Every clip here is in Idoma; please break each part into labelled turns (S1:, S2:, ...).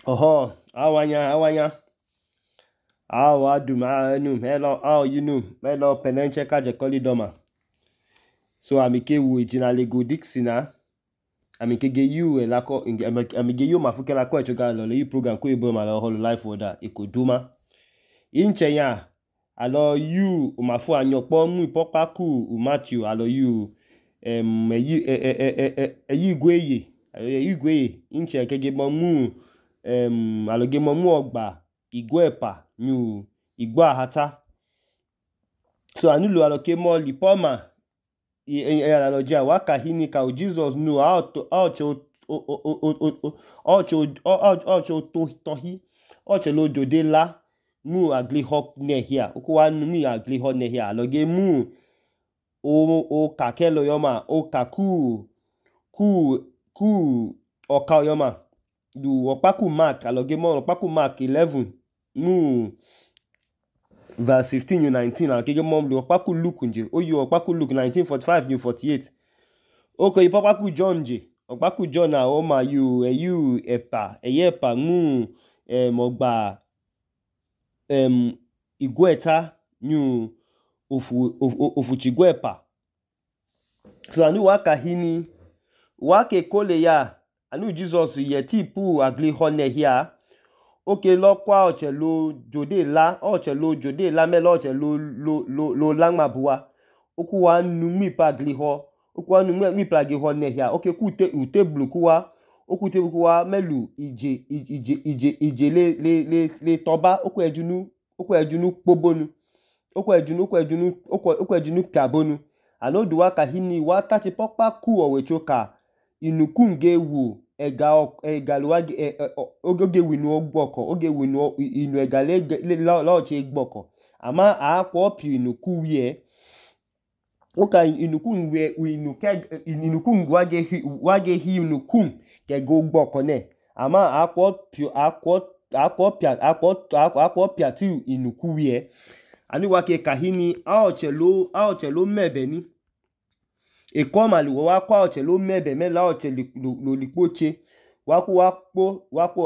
S1: Oho, awanya. Aw adum anu hello how you know hello penenche kaje kolidoma. So amike wu ejina lego Dixina. Amike ge you elako amige you mafuke lako echoga lo le program ko ibo ma lo holo life order ikoduma. Inche ya alo you umafu anyokpo mu ipopaku Matthew alo you igweye inche kege mu aloge mu ogba igwepa new igwa hata. So anulu aloke mo lipoma analogia waka hini ka Jesus nu ocho lo jode la mu agli hok nehia ukuwa nu mi agli hok nehia aloge mu o kakelo yoma o kaku oka yoma du opaku Mark aloge mo opaku Mark 11 mu verse 15 to 19 aloge mo du opaku Luke nje oyu opaku Luke 19:45 to 48 oko ipopaku John nje opaku John na o ma you epa mu ogba igweta new ofu chigwepa. So anu waka hini wake kole ya anu Jesus yeti pu agli hone hia oke lo kwa oche lo jode la melo oche lo langmabuwa okuwa nu mi pa agli ho okuwa nu mi pa agli hone hia oke ku tebulu kuwa okute kuwa melu ije le toba oku ejunu pobonu oku ejunu piabonu anodu waka hini wa tati pokpa ku owechoka inukun ge wu egaluwage oge winu ogboko oge winu inu egale loche igboko ama akwo pi inuku wie oka inukun wie inukun wage hi inukun ke go gboko ne ama akwo pia tu inuku wie ani wake kahini aoche lo mebe ni ekoma lu wa kwa oche lo mebe me la oche lo lipoche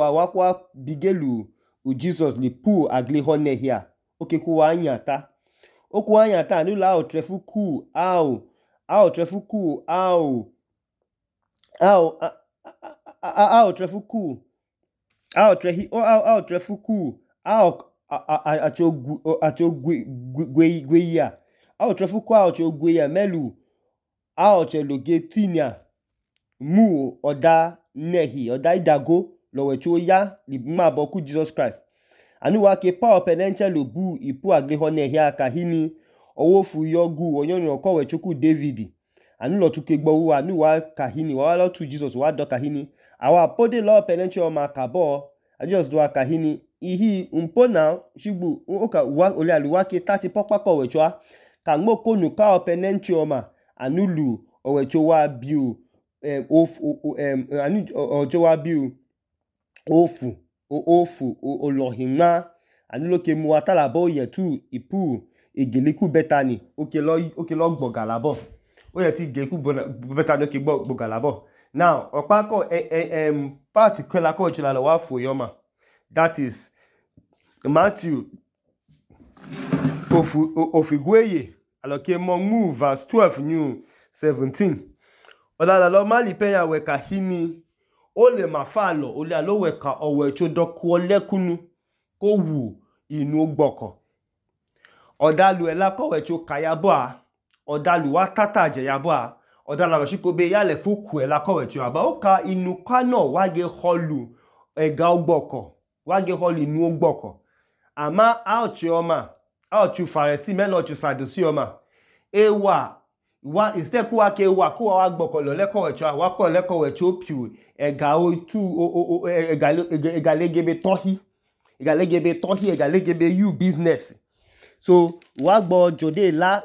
S1: wakwa bigelu u Jesus li pu agli hone hia oke ku anyata oku anyata anu la otrefuku trefuku achogweya melu aoche loge tinia mu oda nehi oda idago lowecho ya libma ku Jesus Christ anu wake pa openenche lobu ipu agli hone hia kahini owofu yogu onyoni okowe chuku David anu lo tuke gbo wa anu wa kahini wa lo tu Jesus wa do kahini awa pode lo openenche o makabo Jesus do kahini ihi mpona shigbu oka wa ole aluwake tati pokpako owecho ka ngmo konu ka openenche o ma anulu owecho wa biu ofu olohima anuloke mu atalabo yetu ipu igeliku betani oke lo gbogalabo o yeti igeliku betani oke gbogalabo now opako particular ko chila lo wa fo yoma that is Matthew ofigweye aloke mo mu verse 12 new 17 olala lo mali peya we kahini ole mafalo ole alo we ka owecho doku olekunu ko wu inu ogboko odalu ela ko wecho kayabo a odalu wa tata je yabo a odala lo shikobe yale fuku ela ko wecho aba oka inu kano wage holu ega ogboko wage holu inu ogboko ama aochi faresi melo chu sadusi oma ewa instead kuwa ke wa gboko lo leko wecho wa ko leko wecho piu ega otu egalegebe tohi egalegebe you business so wa gbo jode la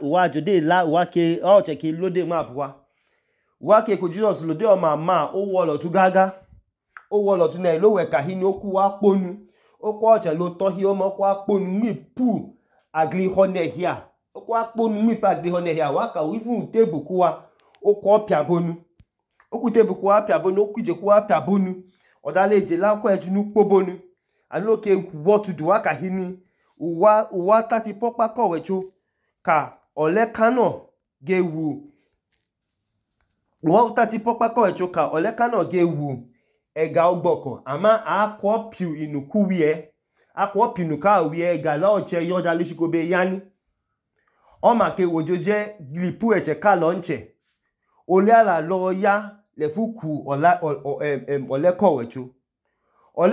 S1: wa ke aoche ke lode map wa ke ko Jesus lode o mama o wo lo tu gaga o wo lo tu na lo we kahini oku wa ponu oku aoche lo tohi o mo kwa ponu mi pu agli hone hia okwa kponu mi pa agli hone hia waka wifu tebuku wa okwo piabonu oku tebuku wa piabonu okuje ku wa piabonu odale jela ko ejunu kpobonu anu ke what do wa ka hini uwa tati pokpa ko wecho ka ole kano ge wu uwa tati pokpa ko wecho ka ole kano ge wu ega ogboko ama akwo piu inuku wie akwo piu inuka wie ega la oche yoda lushikobe yani o ma ke wojoje lipu eche ka lonche ole ala lo ya le fuku ole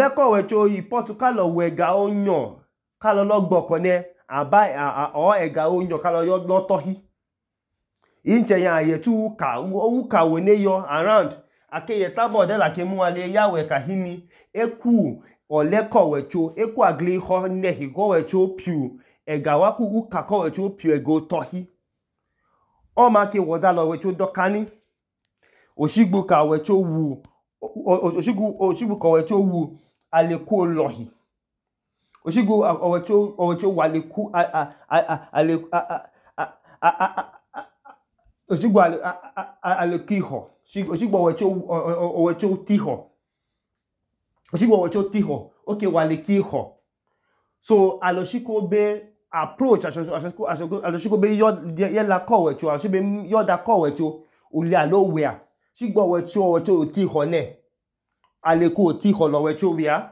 S1: ko wecho ipotu ka lo wega onyo ka lo gboko ne aba o ega onyo ka lo yo lotohi inche ya yetu uka wene yo around akeye tabo de la ke mu ale ya we ka hini eku ole ko wecho eku agli ho ne hi ko wecho piu ega waku uka ko wecho piu ego tohi o ma ke woda lo wecho dokani oshigbu ka wecho wu oshigbu ka wecho wu aleku olohi oshigbu owecho waleku oshigbu alekiho oshigbu owecho tiho oshigbu owecho tiho okay walekiho so aloshikobe approach aloshikobe yela ko wecho ashibe yoda ko wecho uli alowea shigbo wecho tiho ne aleku tiho lo wecho wia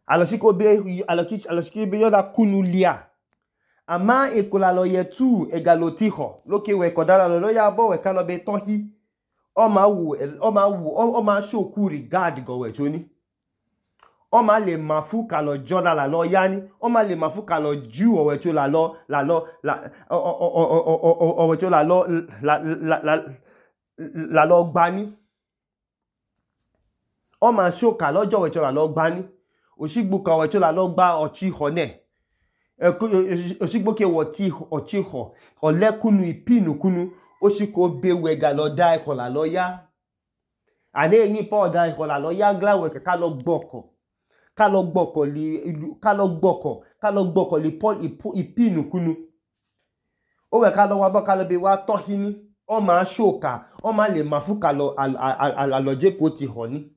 S1: aloshikobe yoda kunulia ama ekola lo yetu egalo tiho loke we kodala lo ya bo we kano be tohi o ma shoku regard go wecho ni o ma le mafu ka lo joda la lo yani o ma le mafu ka lo ju o wecho la lo o wecho la lo gbani o ma shoka lojo wecho la lo gbani oshigbu ka wecho la lo gba ochi ho ne oshigbo ke woti ochi ho ole kunu ipinu kunu oshiko be wega lo da eko la lo ya ane yin po da eko la lo ya gla we ka lo gboko li pol ipinu kunu o we ka lo wa bo ka lo be wa tohini o ma shoka o ma le mafuka lo aloje ko ti ho ni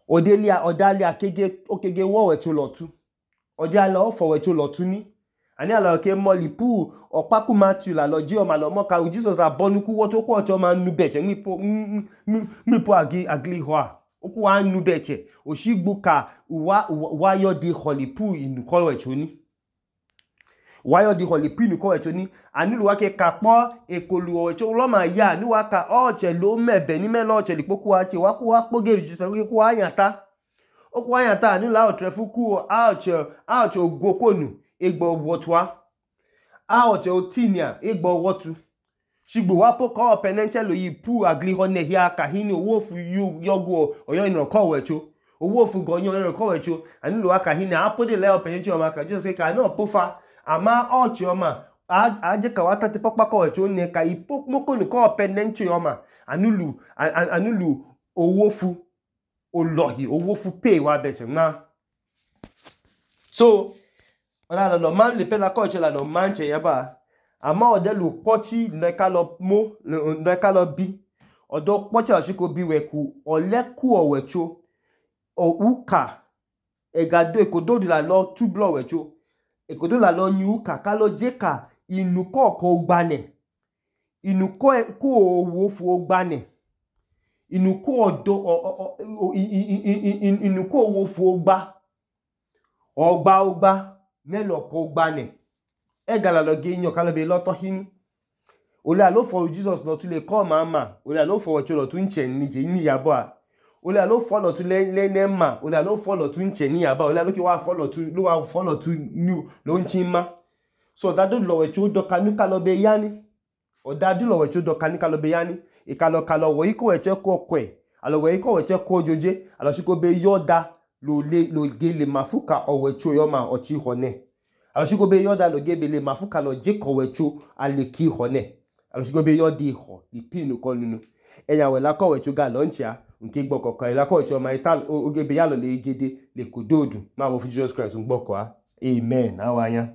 S1: odalia okege wo wecho lotu ode ala ofo wecho lotu ni ani ala ke mo lipu opaku Matthew la lo ji o ma lo mo ka Jesus abonuku wo to ko ocho ma nu beche mipo agli ho oku wa nu beche oshigbu ka wa yo di holipu inu ko wecho ni wa yo di holipu inu ko wecho ni ani lu wa ke kapo ekolu wecho lo ma ya ni wa ka oche lo mebe ni me lo oche lipoku wa che wa ku wa kpogeri Jesus ku wa yanta oku wa yanta ani la otrefuku aoche ogokonu egbo wotwa aoche otinia egbo wotu shigbo wa poko penenche lo yipu agli hone hia ka hini owo fu yogo oyo ino ko wecho owo fu gonyo ino ko wecho ani lo aka hini apode le penenche o ma ka Jesus ka no pofa ama oche o ma aje ka wata te pokpa ko wecho ne ka ipo mokonu ko penenche o ma anulu owo fu olohi owo fu pay wa beche na so ona lo man le pela ko che la lo manche yaba ama odelu pochi neka lo bi odo pochi ashiko bi weku oleku owecho o uka egado ekodo la lo tublo wecho ekodo la lo nyu uka ka lo jeka inuko ko gbane inuko ku owo fu ogbane inuko odo inuko owo fu ogba melo ko gbane egala lo ge yan ka lo be loto hini ole alo fo Jesus lo tun le ko mama ole alo fo wecho lo tun che ni je ni yabo a ole alo fo lo tun le nema ole alo fo lo tun che ni yabo ole alo ki wa fo lo tun new lo nchin ma so dadu lo wecho do kanu ka lo be yani o dadu lo wecho do kanu ka lo be yani ikalo wo iko wecho ko kwe alo we iko wecho ko joje alo shiko be yoda lo gele mafuka o wecho yo ma ochi hone aloshiko be yoda lo gebele mafuka lo je ko wecho aleki hone aloshiko be yodi ho ipinu ko nunu eya we la ko wecho ga lonchia nke gboko ko la ko wecho ma ital ogebe ya lo le gede le kododu ma wo fu Jesus Christ ngboko a amen awanya